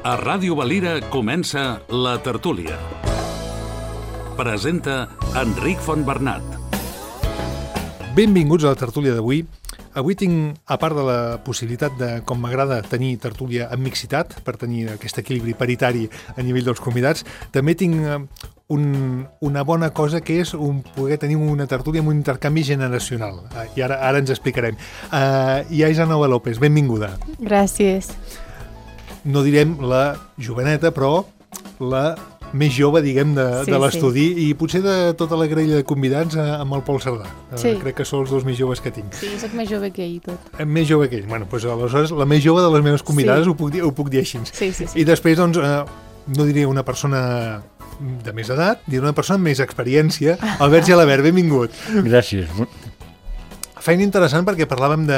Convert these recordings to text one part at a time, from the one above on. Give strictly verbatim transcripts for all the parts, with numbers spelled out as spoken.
A Ràdio Valira comença La Tertúlia. Presenta Enric Fontbernat. Benvinguts a la tertúlia d'avui. Avui tinc, a part de la possibilitat de, com m'agrada, tenir tertúlia amb mixitat, per tenir aquest equilibri paritari a nivell dels convidats, també tinc un, una bona cosa que és un, poder tenir una tertúlia amb un intercanvi generacional. I ara, ara ens explicarem. Uh, I Aisanoa López, benvinguda. Gràcies. No direm la joveneta, però la més jove, diguem, de, sí, de l'estudi, sí. I potser de tota la grella de convidats amb el Pol Cerdà. Sí. Uh, crec que són els dos més joves que tinc. Sí, soc més jove que ell, tot. Més jove que ell. Bueno, doncs aleshores la més jove de les meves convidades, sí. ho, puc dir, ho puc dir així. Sí, sí, sí. I després, doncs, uh, no diré una persona de més edat, diré una persona amb més experiència. Albert Gelabert, benvingut. Gràcies. Feina interessant perquè parlàvem de,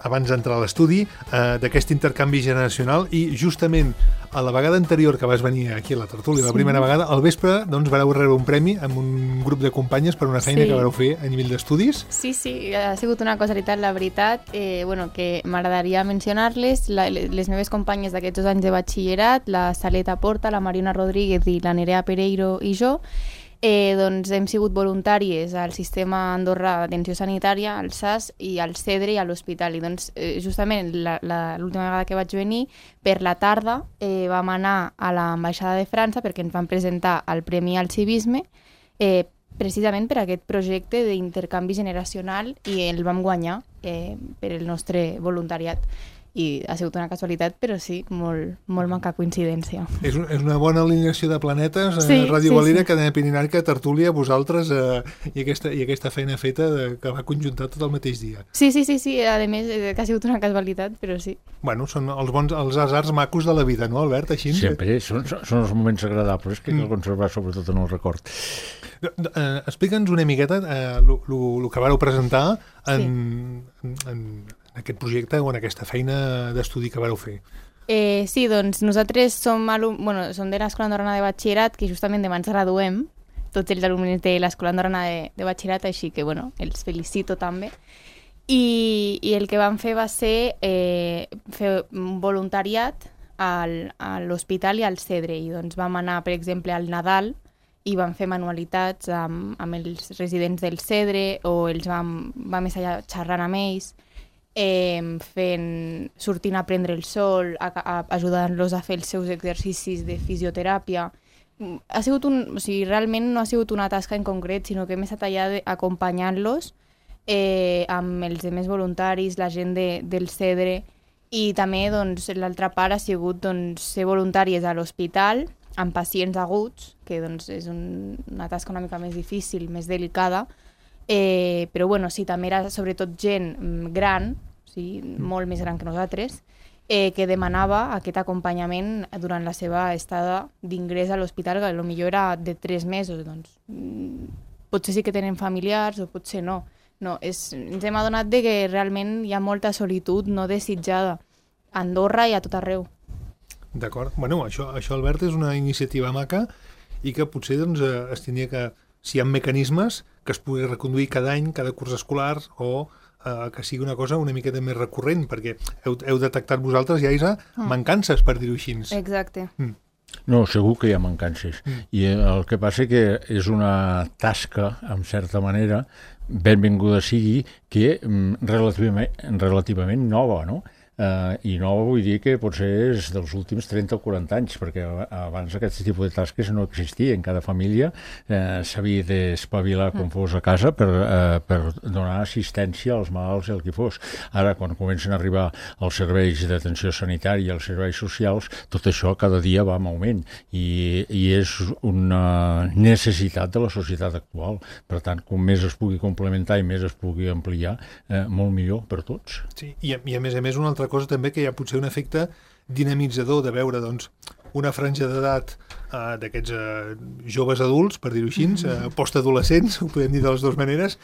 abans d'entrar a l'estudi, eh, d'aquest intercanvi generacional i justament a la vegada anterior que vas venir aquí a la tertúlia, sí. La primera vegada, al vespre, doncs, vareu rebre un premi amb un grup de companyes per una feina sí. que vareu fer a nivell d'estudis. Sí, sí, ha sigut una casualitat, la veritat, eh, bueno, que m'agradaria mencionar-les, la, les meves companyes d'aquests dos anys de batxillerat, la Saleta Porta, la Mariona Rodríguez i la Nerea Pereiro i jo, Eh, doncs hem sigut voluntàries al Sistema Andorrà d'Atenció Sanitària, al S A S i al CEDRE i a l'Hospital. I doncs eh, justament l'última vegada que vaig venir, per la tarda eh, vam anar a l'Ambaixada de França perquè ens van presentar el Premi al Civisme, eh, precisament per aquest projecte d'intercanvi generacional, i el vam guanyar eh, per el nostre voluntariat. I ha sigut una casualitat, però sí, molt, molt manca coincidència. És, un, és una bona alineació de planetes, sí, eh, Ràdio sí, Valira, sí. Cadena Pirinarca, tertúlia, vosaltres, eh, i, aquesta, i aquesta feina feta de, que va conjuntar tot el mateix dia. Sí, sí, sí, sí, a més, eh, que ha sigut una casualitat, però sí. Bueno, són els bons, els asars macos de la vida, no, Albert? Així? Sempre, són, són els moments agradables que cal conservar sobretot en el record. Eh, Explica'ns una miqueta el eh, que vareu presentar en, sí. en, en aquest projecte o en aquesta feina d'estudi que vareu fer. Eh, sí, doncs nosaltres som, alum... bueno, som de l'Escola Andorrana de Batxillerat, que justament demà ens graduem, tots els alumnes de l'Escola Andorrana de, de Batxillerat, així que bueno, els felicito també. I, i el que vam fer va ser eh, fer un voluntariat al, a l'hospital i al CEDRE, i doncs vam anar, per exemple, al Nadal i vam fer manualitats amb, amb els residents del CEDRE, o els vam, vam estar xerrant amb ells, Eh, fent, sortint a prendre el sol, a, a, ajudant-los a fer els seus exercicis de fisioteràpia. Ha sigut un, o sigui, realment no ha sigut una tasca en concret, sinó que hem estat allà acompanyant-los eh, amb els demés voluntaris, la gent de, del CEDRE, i també doncs, l'altra part ha sigut doncs, ser voluntàries a l'hospital amb pacients aguts, que doncs, és un, una tasca una mica més difícil, més delicada. Eh, però bueno, sí, també era sobretot gent gran, sí, molt més gran que nosaltres, eh, que demanava aquest acompanyament durant la seva estada d'ingrés a l'hospital, que potser era de tres mesos. Doncs, potser sí que tenen familiars o potser no. no és, ens hem adonat de que realment hi ha molta solitud no desitjada a Andorra i a tot arreu. D'acord. Bueno, això, això, Albert, és una iniciativa maca i que potser doncs, es tindria que, si hi ha mecanismes, que es pugui reconduir cada any, cada curs escolar, o eh, que sigui una cosa una miqueta més recurrent, perquè heu, heu detectat vosaltres, ja, Isa, mm. mancances, per dir-ho així. Exacte. Mm. No, segur que hi ha mancances. Mm. I el que passa que és una tasca, en certa manera, benvinguda sigui, que relativament, relativament nova, no? Uh, i no vull dir que potser és dels últims trenta o quaranta anys, perquè abans aquest tipus de tasques no existien. Cada família uh, s'havia d'espavilar com fos a casa per, uh, per donar assistència als malalts i al qui fos. Ara, quan comencen a arribar els serveis d'atenció sanitària i els serveis socials, tot això cada dia va en augment i, i és una necessitat de la societat actual. Per tant, com més es pugui complementar i més es pugui ampliar, uh, molt millor per tots. Sí, i a, i a més a més una altra cosa també, que hi ha potser un efecte dinamitzador de veure doncs, una franja d'edat eh, d'aquests eh, joves adults, per dir-ho així, eh, postadolescents, ho podem dir de les dues maneres,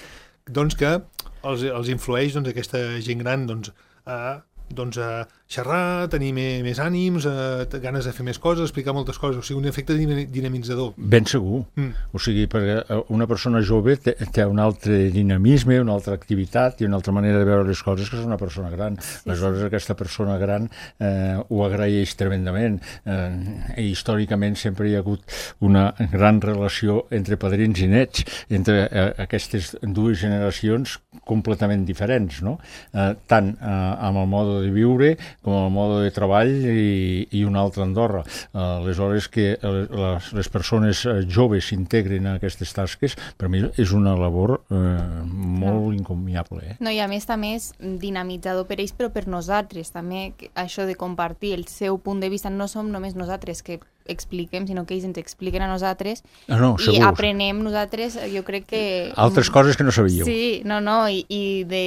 doncs que els, els influeix doncs, aquesta gent gran doncs, a doncs, a xerrar, tenir més, més ànims, a, ganes de fer més coses, explicar moltes coses, o sigui, un efecte dinamitzador. Ben segur. Mm. O sigui, perquè una persona jove té, té un altre dinamisme, una altra activitat i una altra manera de veure les coses que és una persona gran. Sí, Aleshores, sí. aquesta persona gran eh, ho agraeix tremendament. Eh, i històricament sempre hi ha hagut una gran relació entre padrins i nets, entre eh, aquestes dues generacions completament diferents, no? Eh, tant eh, amb el mode de viure com el mode de treball i, i un altre Andorra. Uh, aleshores que les, les persones joves s'integrin a aquestes tasques, per mi és una labor uh, molt no. encomiable. Eh? No, i a més també és dinamitzador per ells, però per nosaltres també, això de compartir el seu punt de vista, no som només nosaltres que expliquem, sinó que ells ens expliquen a nosaltres ah, no, i aprenem nosaltres, jo crec que... Altres coses que no sabíeu. Sí, no, no, i, i de...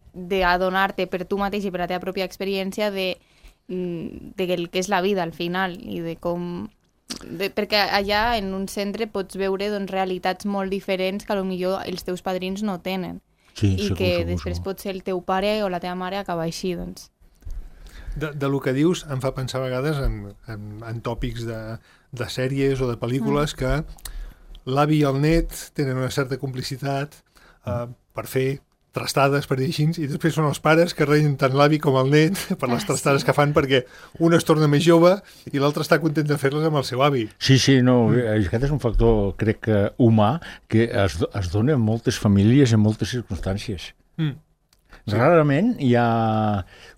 d'adonar-te per tu mateix i per la teva pròpia experiència de, de el que és la vida al final i de com... De, perquè allà en un centre pots veure doncs, realitats molt diferents que potser els teus padrins no tenen sí, i segur, que segur, després segur. pot ser el teu pare o la teva mare acaba així, doncs. De, de lo que dius em fa pensar a vegades en, en, en tòpics de, de sèries o de pel·lícules mm. que l'avi i el net tenen una certa complicitat uh, per fer trastades, per dir així, i després són els pares que reien tant l'avi com el net per les trastades que fan perquè un es torna més jove i l'altre està content de fer-les amb el seu avi. Sí, sí, no, aquest és un factor, crec que humà, que es, es dona en moltes famílies en moltes circumstàncies. Mm. Sí. Rarament hi ha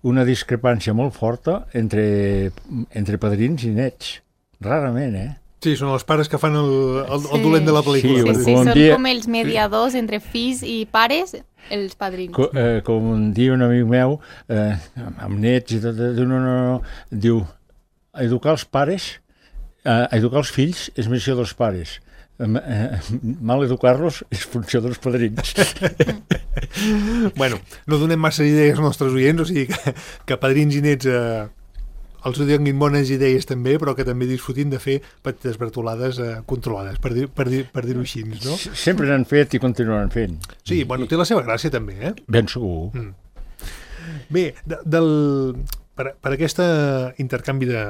una discrepància molt forta entre, entre padrins i nets. Rarament, eh? Sí, són els pares que fan el, el, el sí. dolent de la pel·lícula. Sí, sí, sí, són dia... com els mediadors entre fills i pares, els padrins. Co, eh, com diu un amic meu, eh, amb nets i tot, diu, no, no, no, diu, educar els pares, eh, educar els fills és missió dels pares. Eh, eh, mal educar-los és funció dels padrins. Bueno, no donem massa idees als nostres oients, o sigui que, que padrins i nets... Eh... els ho donin bones idees també, però que també disfrutin de fer petites bertolades eh, controlades, per dir-ho per dir, per dir-ho així, no? Sempre n'han fet i continuaran fent. Sí, bueno, té la seva gràcia també, eh? Ben segur. Mm. Bé, de, del, per, per aquest intercanvi de,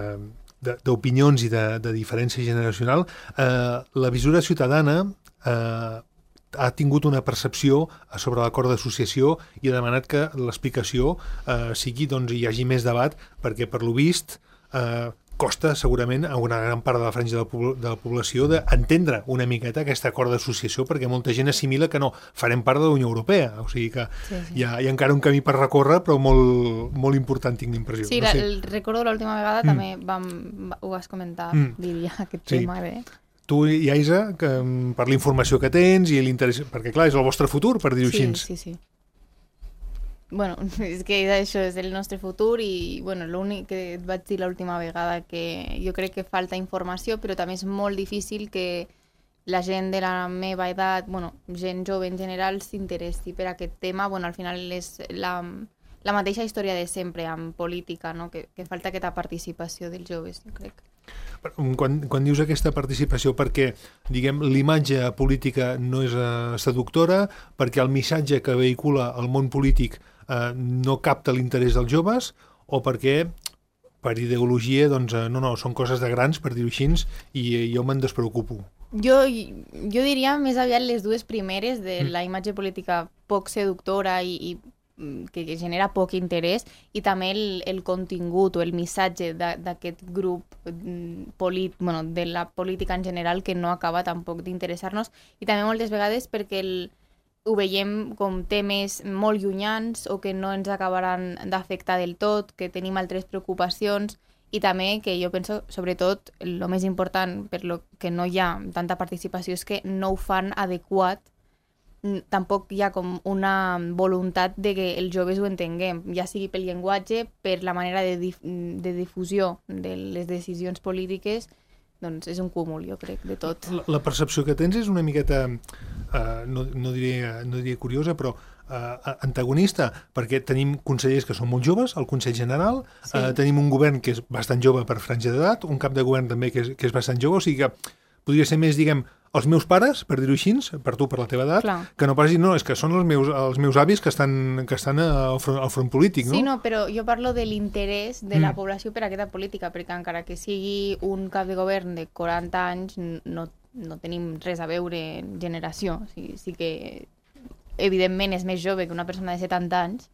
de, d'opinions i de, de diferència generacional, eh, la visura ciutadana eh, ha tingut una percepció sobre l'acord d'associació i ha demanat que l'explicació eh, sigui, doncs, hi hagi més debat, perquè per lo vist eh, costa segurament a una gran part de la franja de la, de la població d'entendre una miqueta aquest acord d'associació, perquè molta gent assimila que no, farem part de la Unió Europea, o sigui que sí, sí. Hi, ha, hi ha encara un camí per recórrer, però molt, molt important, tinc l'impressió. Sí, no la, sé. el recordo l'última vegada mm. també vam, ho vas comentar, mm. diria, aquest sí. tema de... Tu i Aisa, que, per la informació que tens i l'interès, perquè clar, és el vostre futur, per dir-ho sí, així. Sí, sí, bueno, és que això és el nostre futur i bueno, l'únic que et vaig dir l'última vegada que jo crec que falta informació, però també és molt difícil que la gent de la meva edat, bueno, gent jove en general, s'interessi per aquest tema. Bueno, al final és la, la mateixa història de sempre amb política, no? que, que falta aquesta participació dels joves, jo crec. Quan, quan dius aquesta participació, perquè diguem l'imatge política no és uh, seductora, perquè el missatge que vehicula el món polític uh, no capta l'interès dels joves, o perquè per ideologia doncs, uh, no, no, són coses de grans, per dir-ho així, i uh, jo me'n despreocupo. Jo, jo diria més aviat les dues primeres, de la imatge política poc seductora i, i que genera poc interès, i també el, el contingut o el missatge d'aquest grup polit, bueno, de la política en general, que no acaba tampoc d'interessar-nos, i també moltes vegades perquè el, ho veiem com temes molt llunyans o que no ens acabaran d'afectar del tot, que tenim altres preocupacions, i també que jo penso, sobretot, el més important per lo que no hi ha tanta participació és que no ho fan adequat. Tampoc hi ha com una voluntat de que els joves ho entenguem, ja sigui pel llenguatge, per la manera de, dif de difusió de les decisions polítiques, doncs és un cúmul, jo crec, de tot. La, la percepció que tens és una miqueta, uh, no, no, diria, no diria curiosa, però uh, antagonista, perquè tenim consellers que són molt joves, el Consell General, sí. uh, tenim un govern que és bastant jove per franja d'edat, un cap de govern també que és, que és bastant jove, o sigui que podria ser més, diguem, els meus pares, per dir-ho així, per tu, per la teva edat, Clar. que no pas dir, no, és que són els meus, els meus avis que estan, que estan al, front, al front polític, no? Sí, no, però jo parlo de l'interès de Mm. la població per a aquesta política, perquè encara que sigui un cap de govern de quaranta anys, no, no tenim res a veure en generació. O sigui, sí que, evidentment, és més jove que una persona de setanta anys,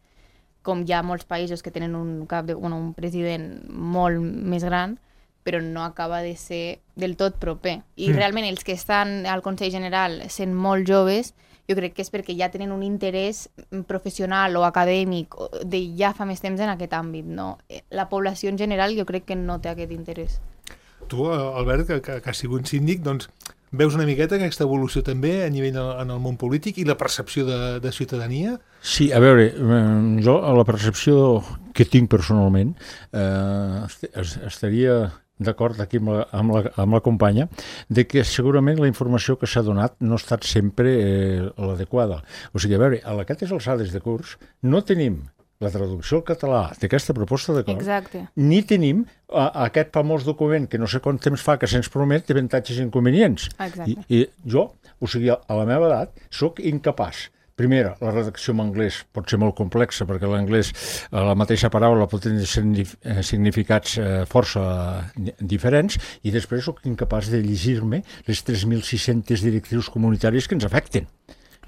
com hi ha molts països que tenen un, cap de, bueno, un president molt més gran, però no acaba de ser del tot proper. I Mm. realment els que estan al Consell General sent molt joves, jo crec que és perquè ja tenen un interès professional o acadèmic o de ja fa més temps en aquest àmbit. No? La població en general jo crec que no té aquest interès. Tu, Albert, que, que, que has sigut síndic, doncs veus una miqueta aquesta evolució també a nivell de, en el món polític i la percepció de, de ciutadania? Sí, a veure, eh, jo a la percepció que tinc personalment eh, est estaria d'acord aquí amb la, amb, la, amb la companya, de que segurament la informació que s'ha donat no ha estat sempre eh, l'adequada. O sigui, a veure, a aquestes alçades de curs no tenim la traducció al català d'aquesta proposta d'acord, Exacte. ni tenim a, a aquest famós document que no sé quant temps fa que se'ns promet d'avantatges i inconvenients. Exacte. I, I jo, o sigui, a la meva edat, sóc incapaç. Primera, la redacció en anglès pot ser molt complexa, perquè l'anglès, la mateixa paraula pot tenir significats eh, força diferents, i després sóc incapaç de llegir-me les tres mil sis-centes directrius comunitàries que ens afecten.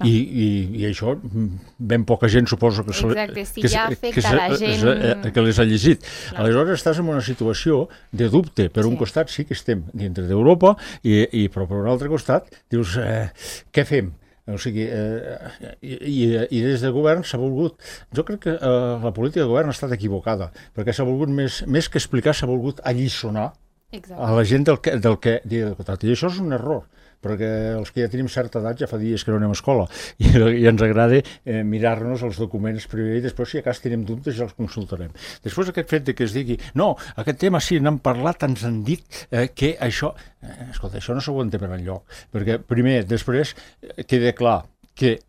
I, i, I això ben poca gent suposo que, se, Exacte, si que, ja que, afecta se, la gent... que, que les ha llegit. Clar. Aleshores estàs en una situació de dubte. Per un Sí. costat sí que estem dintre d'Europa, i, i, però per un altre costat dius, eh, què fem? O sigui, eh, i, i, i des del govern s'ha volgut... Jo crec que eh, la política de govern ha estat equivocada, perquè s'ha volgut, més, més que explicar, s'ha volgut alliçonar Exacte. a la gent del que, del que dia de cotat. I això és un error, perquè els que ja tenim certa edat ja fa dies que no anem a escola i, i ens agrada eh, mirar-nos els documents primer i després si a cas tenim dubtes ja els consultarem. Després aquest fet de que es digui no, aquest tema sí, n'han parlat, ens han dit eh, que això... Eh, escolta, això no s'aguanta per enlloc, perquè primer, després, eh, queda clar que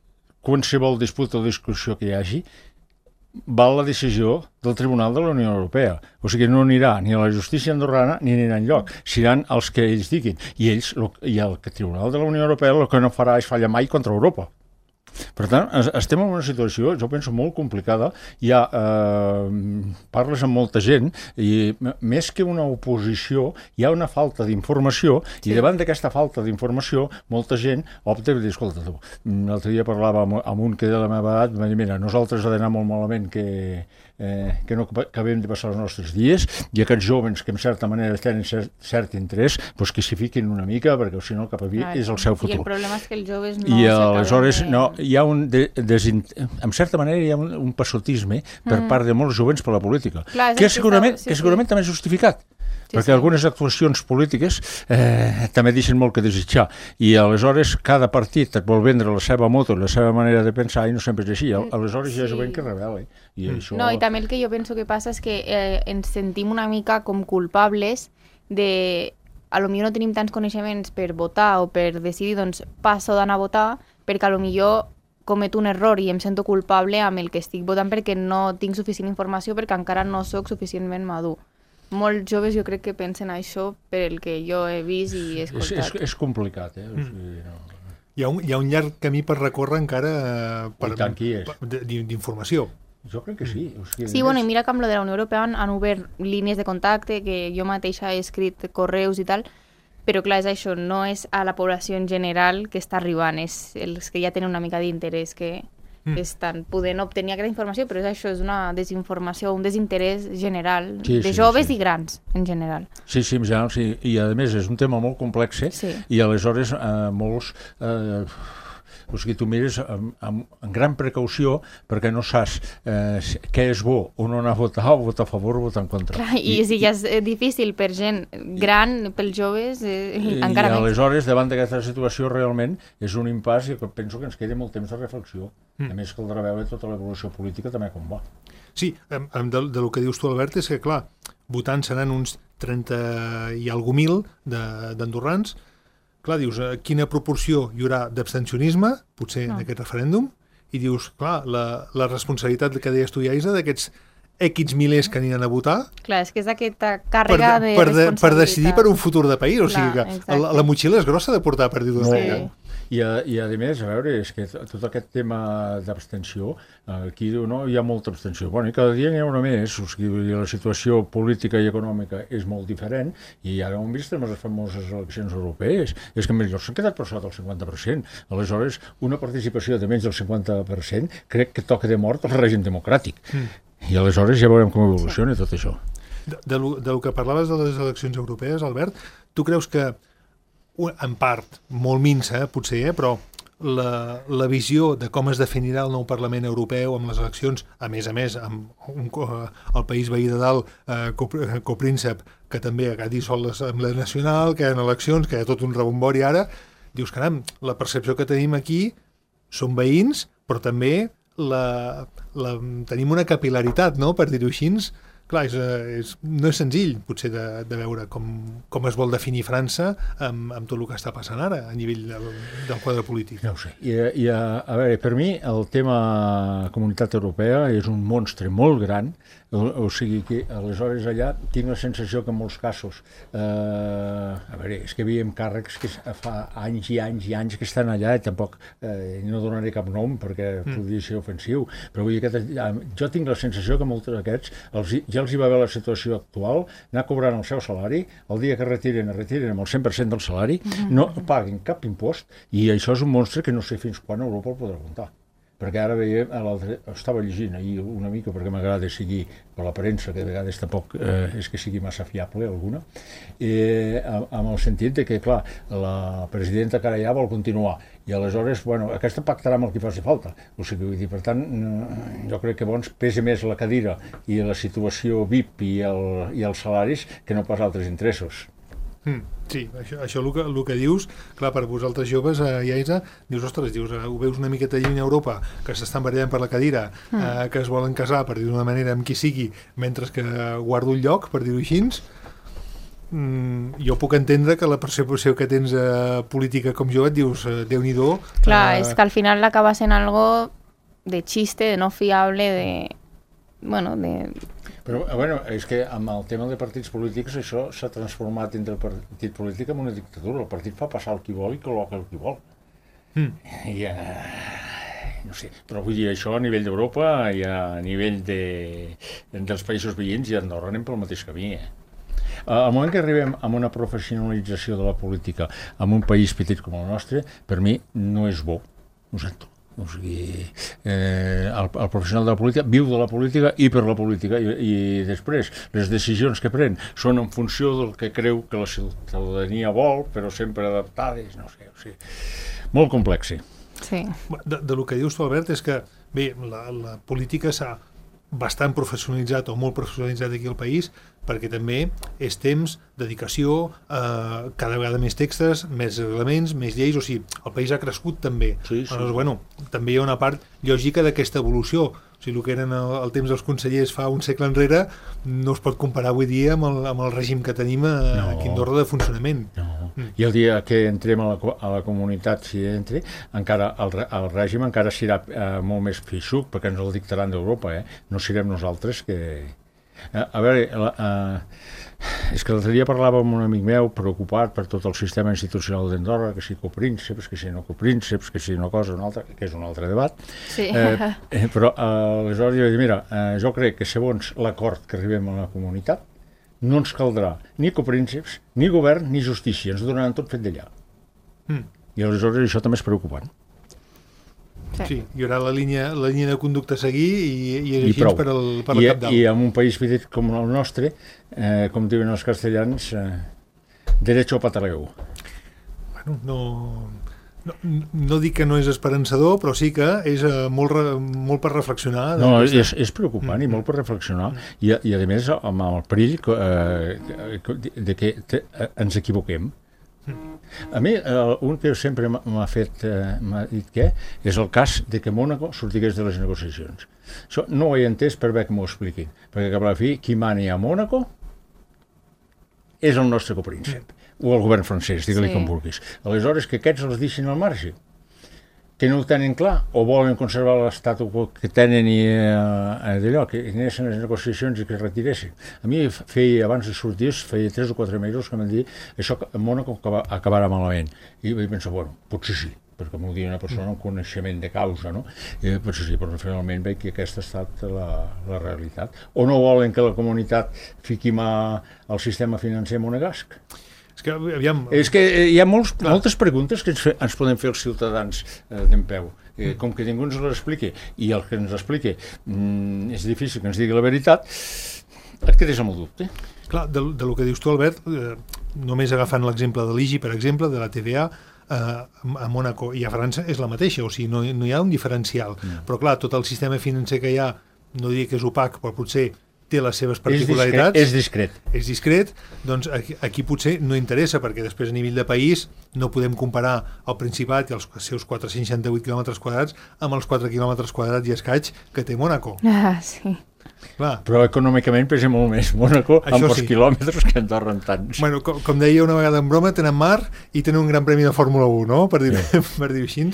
qualsevol disputa o discussió que hi hagi val la decisió del Tribunal de la Unió Europea. O sigui, no anirà ni a la justícia andorrana ni anirà enlloc. Seran els que ells diguin. I ells, lo, i el Tribunal de la Unió Europea el que no farà és fallar mai contra Europa. Per tant, estem en una situació, jo penso, molt complicada. Hi ha, eh, parles amb molta gent i més que una oposició hi ha una falta d'informació sí. I davant d'aquesta falta d'informació molta gent opta per dir, escolta tu, l'altre dia parlava amb, amb un que de la meva edat, va dir, mira, nosaltres ha d'anar molt malament que, eh, que no acabem de passar els nostres dies i aquests jovens que en certa manera tenen cert, cert interès, doncs que s'hi fiquin una mica perquè si no cap a dia és el seu futur. I el problema és que els joves no... I aleshores de... no, hi ha un de, desin... en certa manera hi ha un, un passotisme per mm. part de molts jovens per la política, Clar, que, segurament, sí, que segurament sí. també és justificat. Sí, perquè sí. algunes actuacions polítiques eh, també deixen molt que desitjar i aleshores cada partit et vol vendre la seva moto, la seva manera de pensar i no sempre és així, aleshores sí. Hi ha jovent que rebel·la i mm. això... No, i també el que jo penso que passa és que eh, ens sentim una mica com culpables de... A lo millor no tenim tants coneixements per votar o per decidir, doncs passo d'anar a votar perquè a lo millor cometo un error i em sento culpable amb el que estic votant perquè no tinc suficient informació perquè encara no sóc suficientment madur. Molts joves jo crec que pensen això per el que jo he vist i he escoltat. És, és, és complicat, eh? O sigui, no. Hi ha, un, hi ha un llarg camí per recórrer encara eh, per, tant qui és. d'informació. Jo crec que sí. O sigui, Sí, bueno, i mira que amb lo de la Unió Europea han, han obert línies de contacte, que jo mateixa he escrit correus i tal, però clar, és això, no és a la població en general que està arribant, és els que ja tenen una mica d'interès que mm. estan podent obtenir aquesta informació, però és això, és una desinformació, un desinterès general, sí, de sí, joves sí. i grans, en general. Sí, sí, en general, sí, i a més és un tema molt complex, eh? Sí. I aleshores eh, molts... Eh, o sigui, tu mires amb, amb, amb gran precaució perquè no saps eh, què és bo o no anar a votar, o votar a favor o votar en contra. Clar, i, I si ja és difícil per gent gran, pels joves, eh, i, encara i més. aleshores, davant d'aquesta situació, realment és un impàs i penso que ens queda molt temps de reflexió. Mm. A més, caldrà veure tota l'evolució política també com va. Sí, de, de, de lo que dius tu, Albert, és que, clar, votant seran uns trenta i algú mil d'andorrans. Clar, dius, eh, quina proporció hi haurà d'abstencionisme, potser no. en aquest referèndum, i dius, clar, la, la responsabilitat que deies tu, Iaisa, d'aquests X milers que aniran a votar Clar, és que és aquesta per, càrrega de, per, de, responsabilitat. per decidir per un futur de país. O Clar, sigui que exacte. la, la motxilla és grossa de portar, per dir-ho Sí. d'una manera. I a, I a més, a veure, és que tot aquest tema d'abstenció, aquí diu, no, hi ha molta abstenció. Bueno, i cada dia n'hi ha una més, o sigui, la situació política i econòmica és molt diferent, i ara ho hem vist amb les famoses eleccions europees, és que millor s'han quedat per sota del cinquanta per cent. Aleshores, una participació de menys del cinquanta per cent crec que toca de mort el règim democràtic. Mm. I aleshores ja veurem com evoluciona sí. tot això. De, de, lo, de lo que parlaves de les eleccions europees, Albert, tu creus que en part, molt minsa, potser, eh, però la, la visió de com es definirà el nou Parlament Europeu amb les eleccions, a més a més, amb un, el país veí de dalt, eh, copríncep, que també ha dissolt l'Assemblea Nacional, que hi ha eleccions, que hi ha tot un rebombori ara, dius, caram, la percepció que tenim aquí són veïns, però també la, la, tenim una capilaritat, no?, per dir-ho així. Clar, és, és, no és senzill, potser, de, de veure com, com es vol definir França amb, amb tot el que està passant ara a nivell del, del quadre polític. No ho sé. I, i a, a veure, per mi el tema Comunitat Europea és un monstre molt gran, o, o sigui que aleshores allà tinc la sensació que en molts casos, eh, a veure, és que veiem càrrecs que fa anys i anys i anys que estan allà i tampoc eh, no donaré cap nom perquè mm. podria ser ofensiu, però vull dir que jo tinc la sensació que molts d'aquests els, ja els hi va haver la situació actual, anar cobrant el seu salari, el dia que retiren, es retiren amb el cent per cent del salari, no paguen cap impost, i això és un monstre que no sé fins quan Europa el podrà aguantar. Perquè ara veiem, estava llegint ahir una mica, perquè m'agrada seguir per la premsa, que de vegades tampoc eh, és que sigui massa fiable alguna, eh, amb el sentit de que, clar, la presidenta Carallà vol continuar, i aleshores, bueno, aquesta pactarà amb el que faci falta. O sigui, vull dir, per tant, jo crec que bons pesa més la cadira i la situació V I P i, el, i els salaris que no pas altres interessos. Mm, sí, això, això el, que, el que dius, clar, per vosaltres joves, eh, Iaisa, dius, ostres, dius, eh, ho veus una miqueta lluny a Europa, que s'estan barallant per la cadira, mm. eh, que es volen casar, per dir d'una manera, amb qui sigui, mentre que guardo un lloc, per dir-ho així. Mm, jo puc entendre que la percepció que tens eh, política com jove et dius, eh, Déu-n'hi-do. Clar, eh, és que al final acaba sent algo de xiste, de no fiable, de... bueno, de... Però, bueno, és que amb el tema de partits polítics això s'ha transformat entre el partit polític en una dictadura. El partit fa passar el qui vol i col·loca el qui vol. Mm. I, uh, no sé, però vull dir, això a nivell d'Europa i a nivell de, dels països veïns i Andorra anem pel mateix camí, eh? Al moment que arribem a una professionalització de la política en un país petit com el nostre, per mi no és bo, ho sento. O sigui, eh, el, el professional de la política viu de la política i per la política, i, i després les decisions que pren són en funció del que creu que la ciutadania vol, però sempre adaptades, no sé, o sigui, molt complex. Sí. De, de lo que dius tu, Albert, és que bé, la, la política s'ha bastant professionalitzat o molt professionalitzat aquí al país, perquè també és temps, dedicació, eh, cada vegada més textos, més reglaments, més lleis, o sigui, el país ha crescut també. Sí, sí. Aleshores, bueno, també hi ha una part lògica d'aquesta evolució. O sigui, el que eren el, el temps dels consellers fa un segle enrere no es pot comparar avui dia amb el, amb el règim que tenim a, no. aquí a Andorra de funcionament. No. Mm. I el dia que entrem a la, a la comunitat, si entre, encara el, el règim encara serà eh, molt més feixuc, perquè ens el dictaran d'Europa, eh? No serem nosaltres que... A, a veure, la, uh, és que l'altre dia parlava amb un amic meu preocupat per tot el sistema institucional d'Andorra, que si coprínceps, que si no coprínceps, que si una cosa o una altra, que és un altre debat. Sí. Eh, eh, però uh, aleshores jo dic, mira, uh, jo crec que segons l'acord que arribem a la comunitat, no ens caldrà ni coprínceps, ni govern, ni justícia, ens donaran tot fet d'allà. Mm. I aleshores això també és preocupant. Sí. sí, hi haurà la línia, la línia de conducta a seguir i, i és I així prou. per, el, per I, la cap dalt. I en un país petit com el nostre, eh, com diuen els castellans, eh, derecho pataleu. Bueno, no, no, no dic que no és esperançador, però sí que és uh, molt, re, molt per reflexionar. No, és, és preocupant mm. i molt per reflexionar. Mm. I, i a més, amb el perill eh, de que te, ens equivoquem. A mi, eh, un que sempre m'ha fet, eh, m'ha dit què, és el cas de que Mònaco sortigués de les negociacions. Això no ho he entès per bé que m'ho expliquin, perquè cap a la fi, qui mani a Mònaco és el nostre copríncep, o el govern francès, digue-li sí. com vulguis. Aleshores, que aquests els deixin al marge. que no ho tenen clar, o volen conservar l'estatus que tenen i eh, d'allò, que anessin les negociacions i que es retiressin. A mi, feia, abans de sortir, feia tres o quatre mesos que m'han dit això a Mònaco acabarà malament. I vaig pensar, bueno, potser sí, perquè m'ho diu una persona amb coneixement de causa, no? I potser sí, però finalment veig que aquesta ha estat la, la realitat. O no volen que la comunitat fiqui mà al sistema financer monegasc? És que, aviam... És que hi ha molts, moltes preguntes que ens, fe, ens poden fer els ciutadans eh, d'en peu. Eh, com que ningú ens les expliqui, i el que ens expliqui mm, és difícil que ens digui la veritat, et quedes amb el dubte. Clar, de, de lo que dius tu, Albert, eh, només agafant l'exemple de l'I G I, per exemple, de la T V A, eh, a Mònaco i a França és la mateixa, o sigui, no, no hi ha un diferencial. Mm. Però clar, tot el sistema financer que hi ha, no diria que és opac, però potser té les seves particularitats. És discret. És discret, doncs aquí, aquí potser no interessa, perquè després a nivell de país no podem comparar el Principat i els seus quatre-cents seixanta-vuit quilòmetres quadrats amb els quatre quilòmetres quadrats i escaig que té Mònaco. Ah, sí. Clar. Però econòmicament pesa molt més Mònaco Això amb els sí. quilòmetres que Andorra en tants. Bueno, com, com deia una vegada en broma, tenen mar i tenen un gran premi de Fórmula u, no? Per dir-ho sí. per dir així.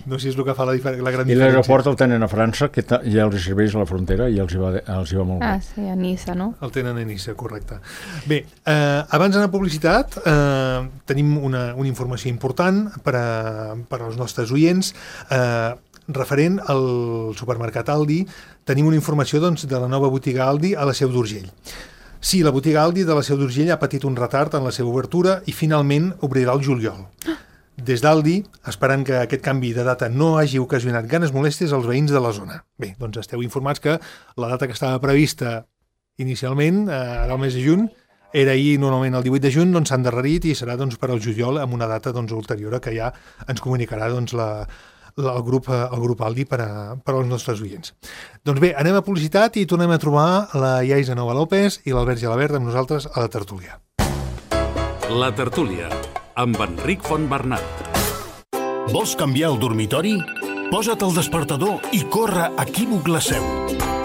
No sé si és el que fa la, la gran I diferència. I l'aeroport el tenen a França, que ja els serveix a la frontera i els hi va, els hi va molt bé. Ah, sí, a Niça, no? El tenen a Niça, correcte. Bé, eh, abans d'anar a publicitat, eh, tenim una, una informació important per, a, per als nostres oients. Eh, referent al supermercat Aldi, tenim una informació doncs, de la nova botiga Aldi a la Seu d'Urgell. Sí, la botiga Aldi de la Seu d'Urgell ha patit un retard en la seva obertura i finalment obrirà el juliol. Des d'Aldi, esperant que aquest canvi de data no hagi ocasionat ganes molèsties als veïns de la zona. Bé, doncs esteu informats que la data que estava prevista inicialment, eh, ara el mes de juny, era ahir normalment el divuit de juny, doncs s'ha endarrerit i serà doncs, per al juliol amb una data doncs, ulterior que ja ens comunicarà doncs, la el grup, el grup Aldi per, a, per als nostres oients. Doncs bé, anem a publicitat i tornem a trobar la Iaisa Nova López i l'Albert Gelabert amb nosaltres a la tertúlia. La tertúlia, amb Enric Fontbernat. Vols canviar el dormitori? Posa't el despertador i corre a Equívoc La Seu.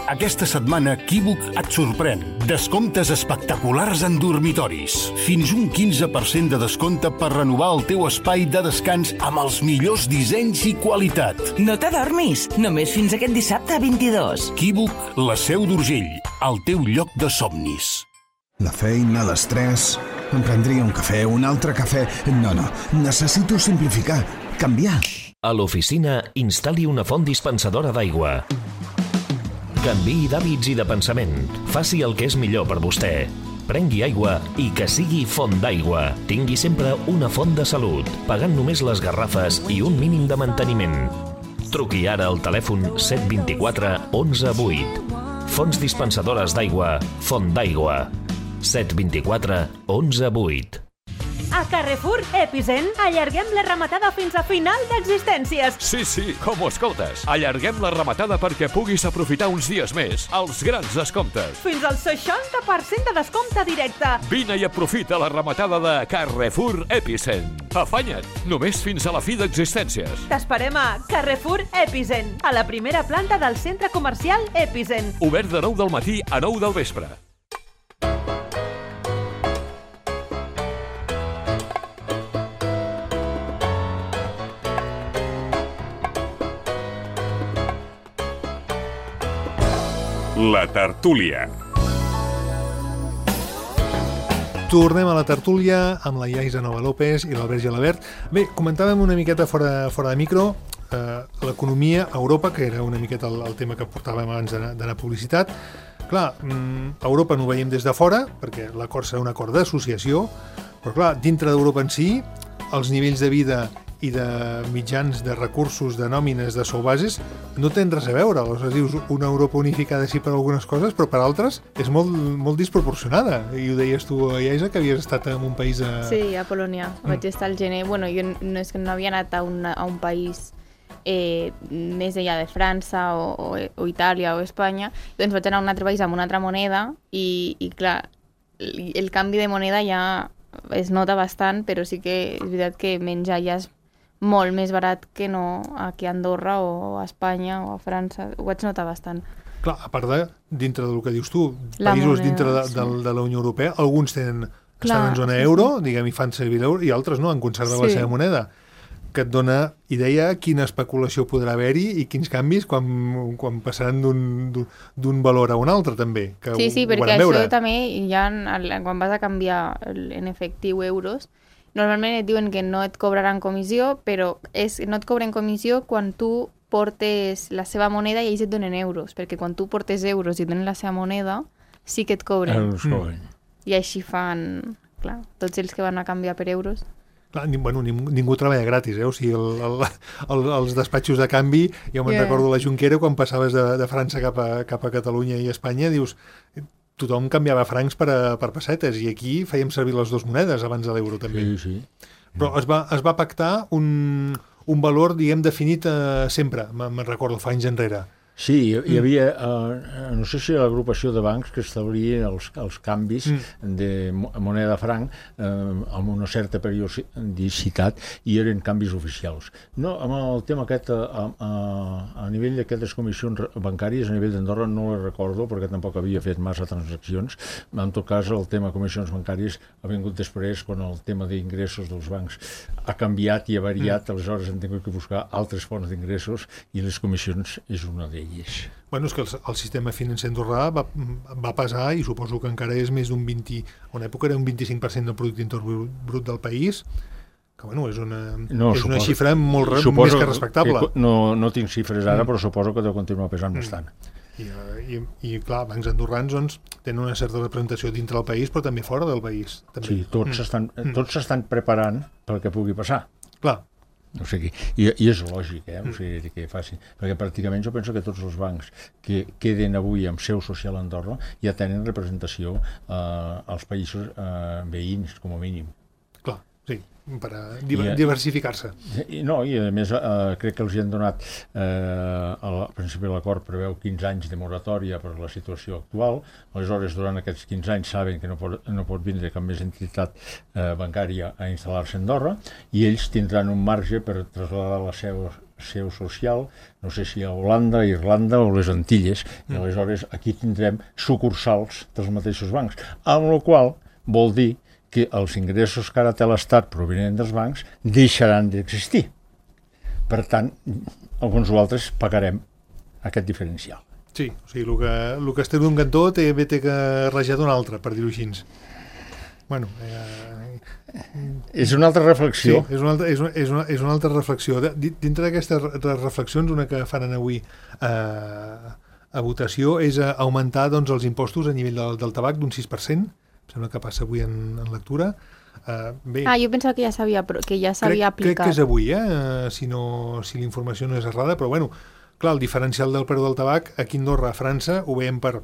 Aquesta setmana Equívoc et sorprèn. Descomptes espectaculars en dormitoris. Fins un quinze per cent de descompte per renovar el teu espai de descans amb els millors dissenys i qualitat. No t'adormis, només fins aquest dissabte vint-i-dos. Equívoc La Seu d'Urgell, el teu lloc de somnis. La feina, l'estrès... Em prendria un cafè, un altre cafè... No, no, necessito simplificar, canviar. A l'oficina, instal·li una font dispensadora d'aigua. Canviï d'hàbits i de pensament. Faci el que és millor per vostè. Prengui aigua i que sigui font d'aigua. Tingui sempre una font de salut, pagant només les garrafes i un mínim de manteniment. Truqui ara al telèfon set dos quatre onze vuit. Fonts dispensadores d'aigua, Font d'Aigua. set dos quatre onze vuit. A Carrefour Epicent allarguem la rematada fins a final d'existències. Sí, sí, com ho escoltes. Allarguem la rematada perquè puguis aprofitar uns dies més els grans descomptes. Fins al seixanta per cent de descompte directe. Vine i aprofita la rematada de Carrefour Epicent. Afanya't, només fins a la fi d'existències. T'esperem a Carrefour Epicent, a la primera planta del centre comercial Epicent. Obert de nou del matí a nou del vespre. La tertúlia. Tornem a la tertúlia amb la Iaisa Nova López i l'Albert Gelabert. Bé, comentàvem una miqueta fora, fora de micro eh, l'economia a Europa, que era una miqueta el, el tema que portàvem abans d'anar a publicitat. Clar, a Europa no ho veiem des de fora, perquè l'acord serà un acord d'associació, però clar, dintre d'Europa en si, els nivells de vida i de mitjans, de recursos, de nòmines, de sou bases, no tenen res a veure. Aleshores dius una Europa unificada sí per algunes coses, però per altres és molt, molt desproporcionada. I ho deies tu, Iaisa, que havies estat en un país... A... Sí, a Polònia. Mm. Vaig estar al gener. Bueno, jo no és que no havia anat a, una, a un país eh, més enllà de França o, o, o Itàlia o Espanya, doncs vaig anar a un altre país amb una altra moneda i, i clar, el, el canvi de moneda ja es nota bastant, però sí que és veritat que menjar ja és molt més barat que no aquí a Andorra o a Espanya o a França. Ho vaig notar bastant. Clar, a part de, dintre del que dius tu, la països moneda, dintre de, sí. de, de la Unió Europea, alguns tenen, Clar, estan en zona sí, euro, sí. diguem, i fan servir l'euro, i altres no, han conservat sí. la seva moneda. que et dona idea quina especulació podrà haver-hi i quins canvis quan, quan passaran d'un valor a un altre, també. Que sí, sí, ho, ho perquè això veure. també, ja quan vas a canviar en efectiu euros, normalment et diuen que no et cobraran comissió, però és, no et cobren comissió quan tu portes la seva moneda i ells et donen euros, perquè quan tu portes euros i et donen la seva moneda, sí que et cobren. Mm. I així fan, clar, tots els que van a canviar per euros. Clar, ni, bueno, ningú, ningú treballa gratis, eh? O sigui, el, el, el, els despatxos de canvi, jo me'n Yeah. recordo la Junquera, quan passaves de, de França cap a, cap a Catalunya i Espanya, dius, tothom canviava francs per, a, per pessetes, i aquí fèiem servir les dues monedes abans de l'euro, també. Sí, sí. Però es va, es va pactar un, un valor, diguem, definit eh, sempre, me'n recordo, fa anys enrere. Sí, hi, hi havia, eh, no sé si l'agrupació de bancs que establien els, els canvis mm. de moneda franc eh, amb una certa periodicitat i eren canvis oficials. No, amb el tema aquest, a, a, a nivell d'aquestes comissions bancàries, a nivell d'Andorra no les recordo perquè tampoc havia fet massa transaccions. En tot cas, el tema de comissions bancàries ha vingut després quan el tema d'ingressos dels bancs ha canviat i ha variat, mm. aleshores hem tingut que buscar altres fonts d'ingressos i les comissions és una d'elles. Bueno, és que el, el sistema financer andorrà va, va pesar, i suposo que encara és més d'un vint, a una època era un vint-i-cinc per cent del producte interior brut del país, que bueno, és una, no, és suposo, una xifra molt re, més que respectable. Que, no, no tinc xifres ara, mm. però suposo que deu continuar pesant mm. bastant. I, i, i clar, bancs andorrans doncs, tenen una certa representació dintre del país, però també fora del país. També. Sí, tots s'estan mm. tots s'estan preparant pel que pugui passar. Clar. O sigui, i, i és lògic, eh? O sigui, que facin, perquè pràcticament jo penso que tots els bancs que queden avui amb seu social a Andorra ja tenen representació eh, als països eh, veïns, com a mínim. Clar, sí, per a diver, diversificar-se. I, no, i a més eh, crec que els hi han donat, eh, al principi l'acord preveu quinze anys de moratòria per la situació actual, aleshores durant aquests quinze anys saben que no pot, no pot vindre cap més entitat eh, bancària a instal·lar-se a Andorra, i ells tindran un marge per traslladar la seu, seu social, no sé si a Holanda, Irlanda o les Antilles, mm. i aleshores aquí tindrem sucursals dels mateixos bancs, amb la qual vol dir que els ingressos que ara té l'Estat provenent dels bancs deixaran d'existir. Per tant, alguns altres pagarem aquest diferencial. Sí, o sigui, el que, el que es té d'un cantó té, té que rajar d'un altre, per dir-ho així. Bueno, eh, és una altra reflexió. Sí, és una altra, és una, és una, és una altra reflexió. De, dintre d'aquestes reflexions, una que faran avui eh, a votació és augmentar doncs, els impostos a nivell del, del tabac d'un sis per cent. Sembla que passa avui en, en lectura. Uh, bé, ah, jo pensava que ja s'havia que ja s'havia aplicat. Crec que és avui, eh? Uh, si, no, si la informació no és errada, però bueno, clar, el diferencial del preu del tabac aquí a Andorra, a França, ho veiem per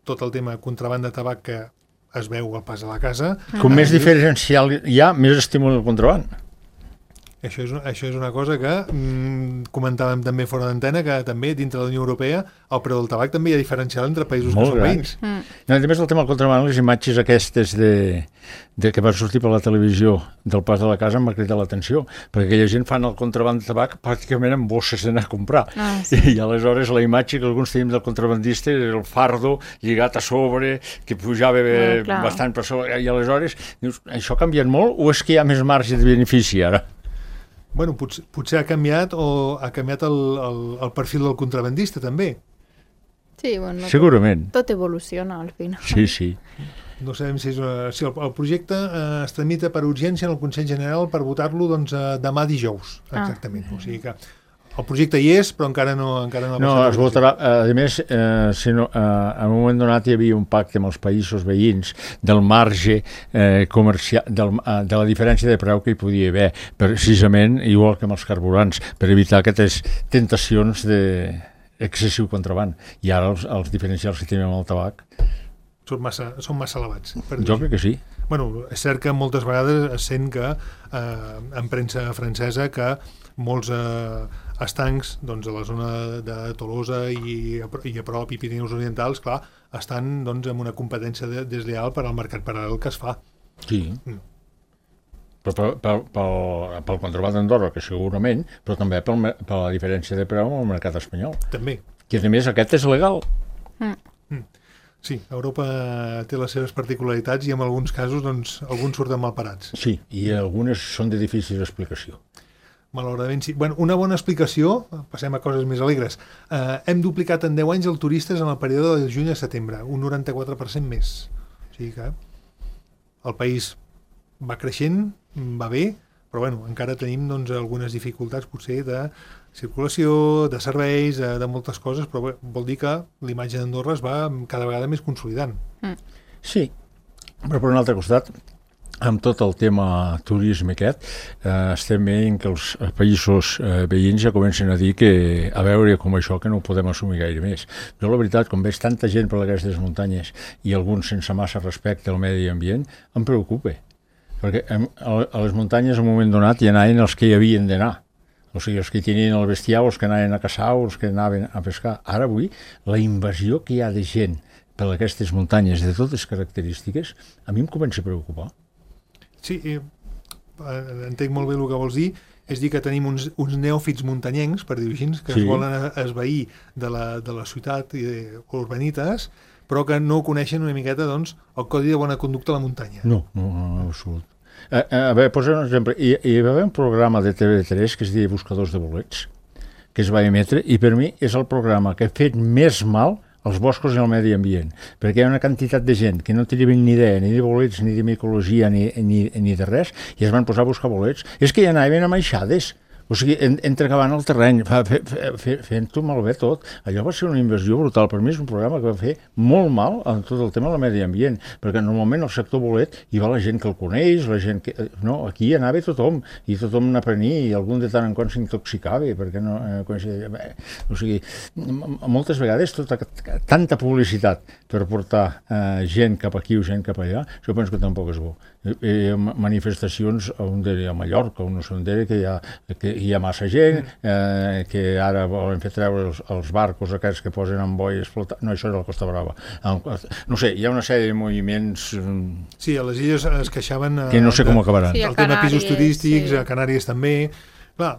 tot el tema contrabanda de tabac que es veu al pas a la casa. Com uh, més diferencial hi ha, més estímul al contraband. Això és, això és una cosa que mm, comentàvem també fora d'antena, que també dintre de la Unió Europea el preu del tabac també hi ha diferencial entre països molt que són gran. veïns. Mm. No, a més del tema del contraband, les imatges aquestes de, de que van sortir per la televisió del pas de la casa m'ha cridat l'atenció, perquè aquella gent fan el contraband de tabac pràcticament amb bosses d'anar a comprar. Ah, sí. I aleshores la imatge que alguns tenim del contrabandista és el fardo lligat a sobre, que pujava eh, mm, bastant per sobre, i aleshores dius, això ha canviat molt o és que hi ha més marge de benefici ara? Bueno, potser, potser ha canviat o ha canviat el, el, el perfil del contrabandista també. Sí, bueno, segurament. Tot, tot evoluciona al final. Sí, sí. No sabem si, és una, si el, el projecte eh, es tramita per urgència en el Consell General per votar-lo doncs, eh, demà dijous, exactament. Ah. O sigui que el projecte hi és, però encara no, encara no ha no, passat. Es votarà, a més, eh, si no, eh, en un moment donat hi havia un pacte amb els països veïns del marge eh, comercial, del, eh, de la diferència de preu que hi podia haver, precisament, igual que amb els carburants, per evitar aquestes tentacions d'excessiu contraband. I ara els, els diferencials que tenim amb el tabac són massa, són massa elevats. Jo crec que sí. Bueno, és cert que moltes vegades es sent que eh, en premsa francesa que molts eh, estancs doncs, a la zona de Tolosa i a, i a prop i Pirineus Orientals, clar, estan doncs, amb una competència de, desleal per al mercat paral·lel que es fa. Sí. Mm. Però pel, pel, pel, pel contraband d'Andorra, que segurament, però també per, per la diferència de preu amb el mercat espanyol. També. Que a més aquest és legal. Mm. Mm. Sí, Europa té les seves particularitats i en alguns casos doncs, alguns surten mal parats. Sí, i algunes són de difícil explicació. malauradament sí. Bueno, una bona explicació, passem a coses més alegres. Eh, hem duplicat en deu anys el turistes en el període de juny a setembre, un noranta-quatre per cent més. O sigui que el país va creixent, va bé, però bueno, encara tenim doncs, algunes dificultats potser de circulació, de serveis, de, de moltes coses, però bé, vol dir que l'imatge d'Andorra es va cada vegada més consolidant. Mm. Sí, però per un altre costat, amb tot el tema turisme aquest, eh, estem veient que els països eh, veïns ja comencen a dir que a veure com això que no ho podem assumir gaire més. Jo la veritat, com veig tanta gent per aquestes muntanyes i alguns sense massa respecte al medi ambient, em preocupa. Perquè a les muntanyes en un moment donat hi anaven els que hi havien d'anar. O sigui, els que tenien el bestiar, els que anaven a caçar, els que anaven a pescar. Ara avui, la invasió que hi ha de gent per aquestes muntanyes de totes característiques, a mi em comença a preocupar. Sí, eh, entenc molt bé el que vols dir, és dir que tenim uns, uns neòfits muntanyencs, per dir-ho així, que sí. es volen esvair de la, de la ciutat i de urbanites, però que no coneixen una miqueta doncs, el codi de bona conducta a la muntanya. No, no, no, no absolut. A, a veure, posem un exemple. Hi, hi va haver un programa de T V tres que es deia Buscadors de bolets, que es va emetre, i per mi és el programa que ha fet més mal als boscos i al medi ambient, perquè hi ha una quantitat de gent que no tenia ni idea ni de bolets, ni de micologia, ni, ni, ni de res, i es van posar a buscar bolets. És que hi anaven amaixades, o sigui, en, entrecavant el terreny, fe, fe, fe, fent-ho malbé tot. Allò va ser una invasió brutal. Per mi és un programa que va fer molt mal en tot el tema del medi ambient, perquè normalment al sector bolet hi va la gent que el coneix, la gent que... No, aquí hi anava tothom, i tothom n'aprenia, i algun de tant en quant s'intoxicava, perquè no... Eh, coneixia... O sigui, moltes vegades tota, tanta publicitat per portar eh, gent cap aquí o gent cap allà, jo penso que tampoc és bo. Hi ha manifestacions on a Mallorca, on no són d'era, que hi ha... Que hi ha massa gent, eh, que ara volen fer treure els, els barcos aquests que posen en boies flotant. No, això és la Costa Brava. No sé, hi ha una sèrie de moviments... Sí, a les illes es queixaven... Que no sé com acabaran. Sí, el tema pisos turístics, sí. A Canàries també... Clar,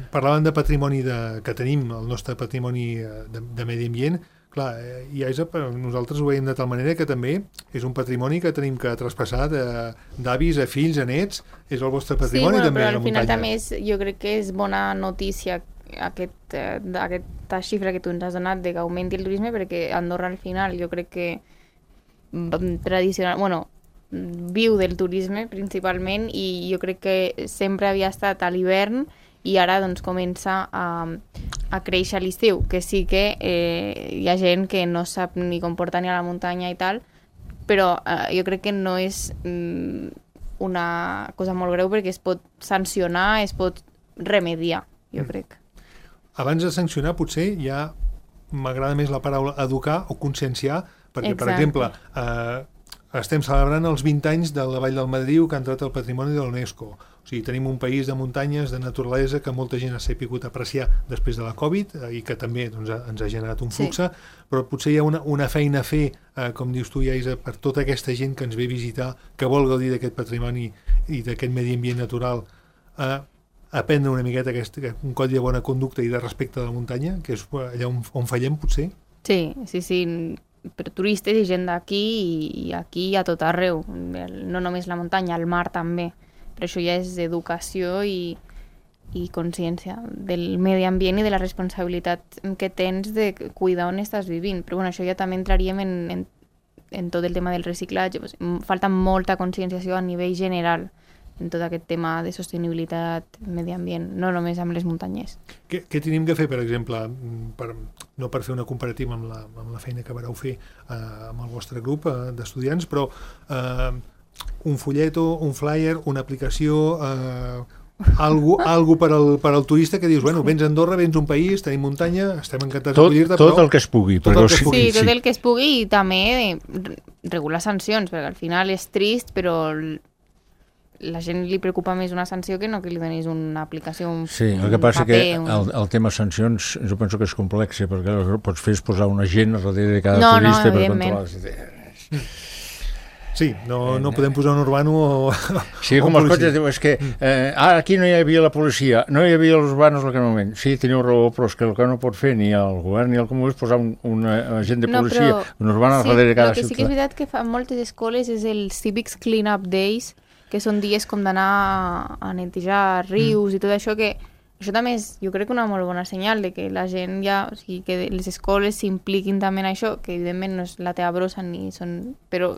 parlaven de patrimoni de, que tenim, el nostre patrimoni de, de medi ambient. Clar, i a nosaltres ho veiem de tal manera que també és un patrimoni que tenim que traspassar d'avis a fills, a nets, és el vostre patrimoni sí, bueno, també. Però al final també és, jo crec que és bona notícia aquest, eh, aquesta xifra que tu ens has donat de que augmenti el turisme, perquè Andorra al final jo crec que tradicional, bueno, viu del turisme principalment, i jo crec que sempre havia estat a l'hivern i ara doncs comença a, a créixer a l'estiu, que sí que eh, hi ha gent que no sap ni com portar ni a la muntanya i tal, però eh, jo crec que no és mm, una cosa molt greu, perquè es pot sancionar, es pot remediar, jo mm. crec. Abans de sancionar potser ja m'agrada més la paraula educar o conscienciar, perquè Exacte. Per exemple eh, estem celebrant els vint anys de la Vall del Madriu, que ha entrat al patrimoni de l'UNESCO. O sigui, tenim un país de muntanyes, de naturalesa, que molta gent ha sabut apreciar després de la Covid, eh, i que també doncs, ens ha generat un flux, sí. Però potser hi ha una, una feina a fer, eh, com dius tu, Iaisa, per tota aquesta gent que ens ve a visitar, que vol gaudir d'aquest patrimoni i d'aquest medi ambient natural, eh, aprendre una miqueta aquest, un codi de bona conducta i de respecte de la muntanya, que és allà on, on fallem, potser. Sí, sí, sí, per turistes i gent d'aquí, i, i aquí a tot arreu, no només la muntanya, el mar també. Però això ja és educació i, i consciència del medi ambient i de la responsabilitat que tens de cuidar on estàs vivint. Però bueno, això ja també entraríem en, en, en tot el tema del reciclatge. Pues, falta molta conscienciació a nivell general en tot aquest tema de sostenibilitat, medi ambient, no només amb les muntanyes. Què, què tenim que fer, per exemple, per, no per fer una comparativa amb la, amb la feina que vareu fer eh, amb el vostre grup eh, d'estudiants, però... Eh, un folleto, un flyer, una aplicació, eh, algo, algo per, al, per al turista que dius, bueno, vens a Andorra, vens a un país, tenim muntanya, estem encantats d'acollir-te, però... Tot el que es pugui. Tot el que es pugui. Sí, tot el que es pugui, i també regular sancions, perquè al final és trist, però la gent li preocupa més una sanció que no que li donis una aplicació, un Sí, el que passa paper, que un... el, el tema sancions jo penso que és complex, perquè el que pots fer és posar una gent darrere de cada no, turista no, per controlar... Sí, no, no podem posar un urbano o... Sí, com els cotxes, diu, és que eh, ah, aquí no hi havia la policia, no hi havia els urbanos en aquell moment. Sí, teniu raó, però és que el que no pot fer ni el govern ni el comú és posar un, un agent de policia, no, però, un urbano sí, darrere de cada ciutat. El que sí que és veritat que fa moltes escoles és el Civics Clean-up Days, que són dies com d'anar a netejar rius mm. i tot això, que això també és, jo crec, una molt bona senyal de que la gent ja, o sigui, que les escoles s'impliquin també en això, que evidentment no és la teva brossa ni són... però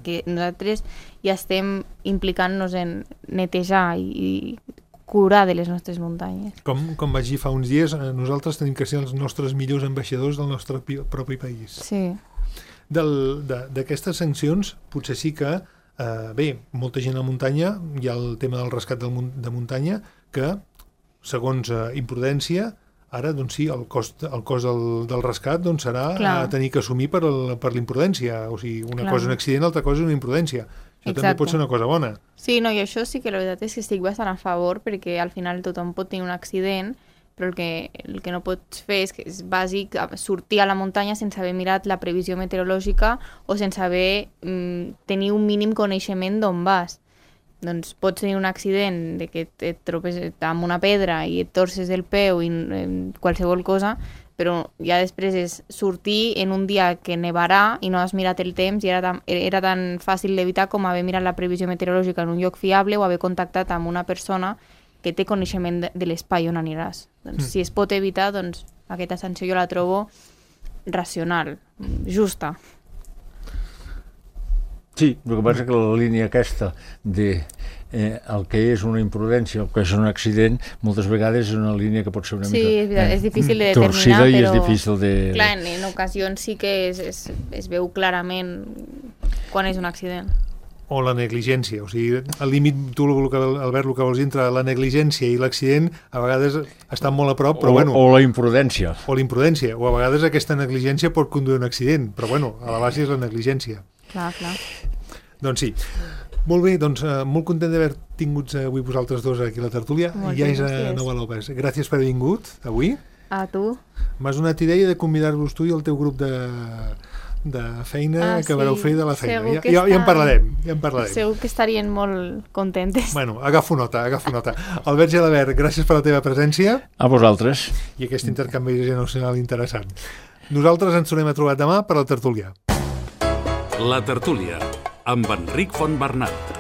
que nosaltres ja estem implicant-nos en netejar i, i curar de les nostres muntanyes. Com, com vaig dir fa uns dies, nosaltres tenim que ser els nostres millors ambaixadors del nostre propi país. Sí. D'aquestes sancions, potser sí que, eh, bé, molta gent a muntanya, hi ha el tema del rescat del, de muntanya, que, segons eh, imprudència, ara, doncs sí, el cost, el cost del, del rescat doncs, serà Clar. a tenir que assumir per, el, per l'imprudència. O sigui, una Clar. cosa és un accident, l'altra cosa és una imprudència. Això Exacte. també pot ser una cosa bona. Sí, no, i això sí que la veritat és que estic bastant a favor, perquè al final tothom pot tenir un accident, però el que, el que no pots fer és, que és bàsic sortir a la muntanya sense haver mirat la previsió meteorològica o sense haver mm, tenir un mínim coneixement d'on vas. Doncs pots tenir un accident de que et tropes amb una pedra i et torces el peu i qualsevol cosa, però ja després és sortir en un dia que nevarà i no has mirat el temps i era tan, era tan fàcil d'evitar com haver mirat la previsió meteorològica en un lloc fiable o haver contactat amb una persona que té coneixement de, de l'espai on aniràs. Doncs, mm. Si es pot evitar, doncs aquesta sanció jo la trobo racional, justa. Sí, el que passa és que la línia aquesta de eh, el que és una imprudència, el que és un accident, moltes vegades és una línia que pot ser una sí, mica eh, és difícil de determinar, torcida però... i és difícil de... Clar, en, en ocasions sí que es, es, es veu clarament quan és un accident. O la negligència, o sigui, el límit, tu, Albert, el que vols dir entre la negligència i l'accident, a vegades estan molt a prop, però o, bueno... O la imprudència. O la imprudència, o a vegades aquesta negligència pot conduir a un accident, però bueno, a la base és la negligència. Clar, clar. Doncs sí. Molt bé, doncs eh, molt content d'haver tingut eh, avui vosaltres dos aquí a la tertúlia. Molt I ja és gràcies. a Nova López. Gràcies per haver vingut avui. A tu. M'has donat idea de convidar-vos tu i el teu grup de... de feina ah, que sí. vareu fer de la feina. Ja, ja, ja en parlarem, ja en parlarem. Segur que estarien molt contentes. Bueno, agafo nota, agafo nota. Albert Gelabert, gràcies per la teva presència. A vosaltres. I aquest intercanvi generacional interessant. Nosaltres ens tornem a trobar demà per la tertúlia. La tertúlia, amb Enric Fontbernat.